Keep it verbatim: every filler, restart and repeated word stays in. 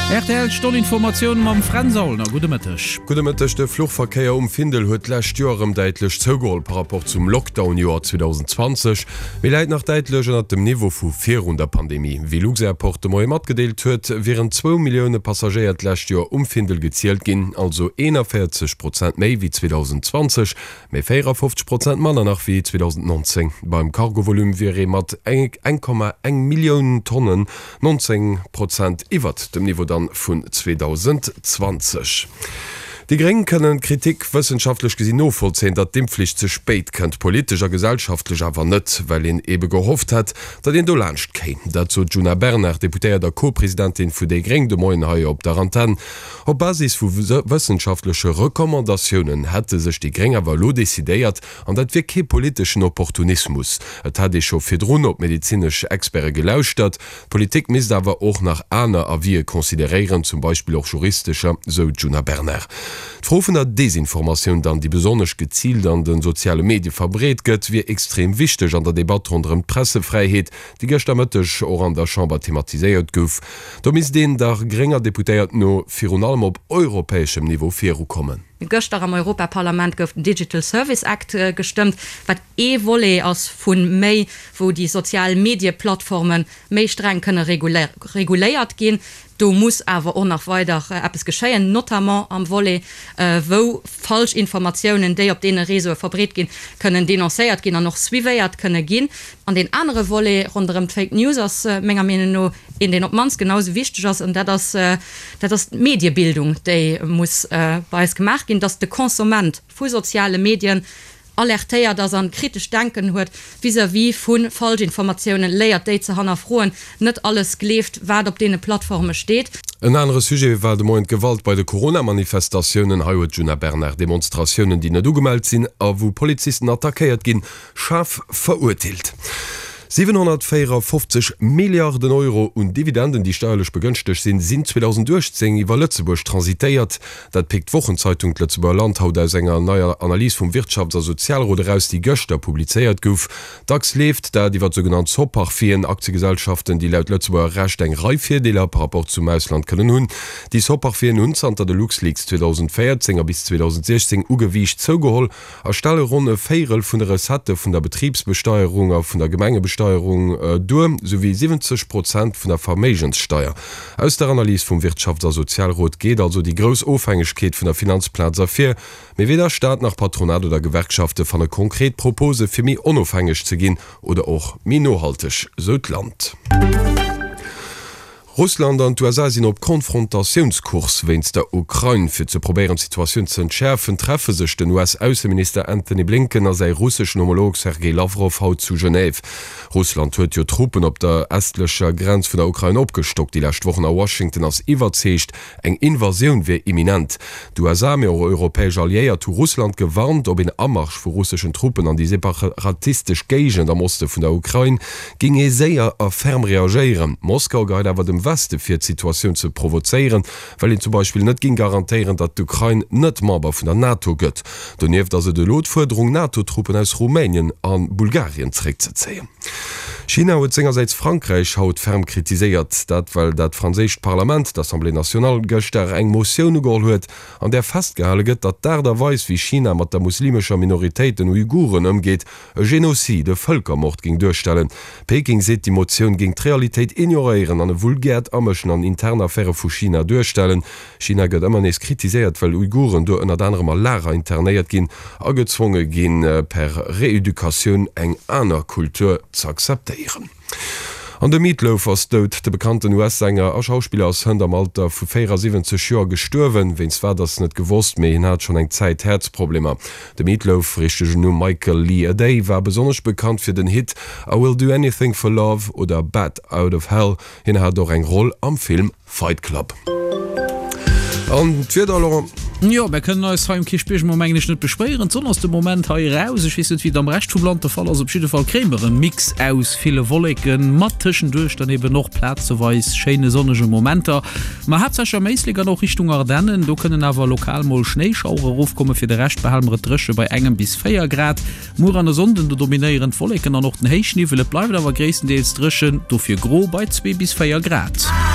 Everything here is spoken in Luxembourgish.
Rtl Stonn Informatioun mam Fränz Aulner. Gudde Mëtteg. Gudde Mëtteg. De Fluchverkéier um Findel huet d'lescht Joer erëm däitlech zougeholl par rapport zum Lockdown-Joer zweedausendenzwanzeg, mee läit nach däitlech ënnert dem Niveau vu virun der Pandemie. Wéi Luxairport de Moie matgedeelt huet, wieren zwou Millioune Passagéier d'lescht Joer um Findel gezielt ginn, also eenanvéierzeg Prozent méi wéi zweedausendzwanzeg, mee véierafofzeg Prozent manner nach wéi zweedausendnonzéng. Beim Cargovolume wier ee mat eng Komma eng Millioun Tonnen nonzéng Prozent iwwert dem Niveau dann vun zweedausendzwanzeg. Déi Gréng kënnen d'Kritik wëssenschaftlech gesinn novollzéien, datt d'Impfflicht ze spéit kënnt, politesch a gesellschaftlech awer net, well een ebe gehofft hätt, datt een dolaanscht kéim. Dat sot d'Djuna Bernard, Deputéiert a Co-Presidentin vu déi Gréng, de Moien hei op der Antenn. Op Basis vu wëssenschaftleche Recommandatiounen hätte sech déi Gréng awer elo decidéiert, an dat wier kee politeschen Opportunismus. Et hätt ee scho virdrun op medezinesch Experte gelauschtert. D'Politik misst awer och nach aner Avisë consideréieren, zum Beispill och juristescher, sou d'Djuna Bernard. D'Fro vun der Desinformatioun dann, déi besonnesch geziilt an de soziale Medie verbreet gëtt, wier extrem wichteg an der Debatt ronderëm d'Pressefräiheet, déi gëschter Mëtteg och an der Chamber thematiséiert gouf. Do misst een der grénger Deputéiert no virun allem op europäeschem Niveau virukommen. Gëschter am Europaparlament gouf den Digital Service Act gestëmmt, wat ee Volet ass vu méi, wou déi sozial Medieplattforme méi streng kënne reguléiert ginn. Do muss awer och nach weider eppes geschéien, notamment am Volet, wou falsch Informatiounen, déi op deene Réseaue verbreet ginn, kënnen denoncéiert ginn an och suivéiert kënne ginn. An deen anere Volet ronderëm d'Fake News ass menger Meenung no een, deen op d'mannst genau esou wichteg ass, an dat ass, dat ass d'Mediebildung, déi muss bei eis gemaach ginn, dass de Konsument vu soziale Medien alertéiert ass an kritescht Denken huet vis-à-vis vu Falschinformatiounen, léiert déi ze hannerfroen, net alles gleeft, wat op deene Plattforme steet. En anere Sujet war de Moien d'Gewalt bei de Corona-Manifestatiounen. Hei huet d'Djuna Bernard Demonstratiounen, déi net ugemellt sinn a wou Polizisten attackéiert ginn, schaarf verurteelt. siwenhonnertvéierafofzeg Milliarden Euro un Dividenden, déi steierlech begënschtegt sinn, sinn zweedausenduechtzéng iwwer Lëtzebuerg transitéiert. Dat péckt d'Wochenzeitung D'Lëtzebuerger Land haut aus enger neier Analys vum Wirtschafts a Sozialrot eraus, déi gëschter publizéiert gouf. Dacks leeft dat iwwer sougenannt Soparfien, Aktiegesellschaften, déi laut Lëtzebuerger Recht eng Rei Virdeeler par rapport zum Ausland kënnen hunn. Déi Soparfien hunn zanter de LuxLeaks zweedausendvéierzéng a bis zweedausendsiechzéng u Gewiicht zougeholl a stelle ronn e Véierel vun de Recettë vun der Betribsbesteierung a vun der Gemengebesteierung duer, souwéi siwwenzeg Prozent vun der Verméigenssteier. Aus der Analys vum Wirtschafts a Sozialrot geet also déi grouss Ofhängegkeet vun der Finanzplaz ervir. Mee weder Staat nach Patronat oder Gewerkschafte fanne konkret Propose fir méi onofhängeg ze ginn oder och méi nohalteg, sou d'Land. Russland an d'USA sinn op Konfrontatiounskurs wéinst der Ukrain. Fir ze probéieren d'Situatioun ze entschäerfen, treffe sech den U S-Ausseminister Antony Blinken a säi russeschen Homolog Sergei Lawrow haut zu Genève. Russland huet jo Truppen op der estlecher Grenz vun der Ukrain opgestockt déi lescht Wochen a Washington ass iwwerzeegt, eng Invasioun wier imminent. D'USA, mee och europäesch Alliéiert hu Russland gewarnt, op een Amarsch vu russeschen Truppen an déi separatistesch Géigend am Oste vun der Ukrain géing ee séier a ferm reagéieren. Moskau geheit awer dem Weste vir, d'Situatioun ze provozéieren, well een zum Beispill net géing garantéieren, datt d'Ukrain net Member vun der NATO gëtt. Donieft ass et elo d'Fuerderung, NATO-Truppen aus Rumänien a Bulgarien zeréckzezéien. China huet sengersäits Frankräich haut ferm kritiséiert. Dat well dat franséischt Parlament, d'Assemblée nationale, gëschter eng Motioun ugeholl huet, an där festgehale gëtt, datt d'Aart a Weis wéi China mat der muslimescher Minoritéit, den Uiguren, ëmgeet, e Genocide, e Vëlkermord géing duerstellen. Peking seet, déi Motioun géing d'Realitéit ignoréieren an e vulgäert Amëschen an intern Affäre vu China duerstellen. China gëtt ëmmer nees kritiséiert, well Uiguren do ënnert anerem a Lager internéiert ginn a gezwonge ginn, per Reeducatioun eng aner Kultur z'akzeptéieren. An de Meat Loaf ass dout. De bekannten U S-Sänger a Schauspiller ass hënt am Alter vu véierasiwwenzeg Joer gestuerwen. Wéinst wat ass net gewosst, mee hien hat schonn eng Zäit Häerzproblemer. De Meat Loaf, richtegen Numm Michael Lee Aday, war besonnesch bekannt fir den Hit I Will Do Anything for Love oder Bat Out of Hell. Hien hat och eng Roll am Film Fight Club. An d'Wieder, Laurent? Jo, mär kënnen eis hei um Kierchbierg mol mengen ech net beschwéieren. D'Sonn ass de Moment hei eraus. Ech weess net wéi et am Rescht vum Land de Fall ass. Op jidde Fall kréie mer e Mix aus ville Wolleken, mat tëschenduerch dann eben och plazeweis schéine sonnege Momenter. Ma haaptsächlech am Éislek an och Richtung Ardennen, do kënnen awer lokal mol Schnéischauere erofkommen. Fir de Rescht behale mer et dréche bei engem bis véier Grad. Muer an e Sonnden, do dominéieren d'Wolleken an och den Héichniwwel. Et bleift awer gréisstendeels dréchen, dofir gro bei zwee bis véier Grad.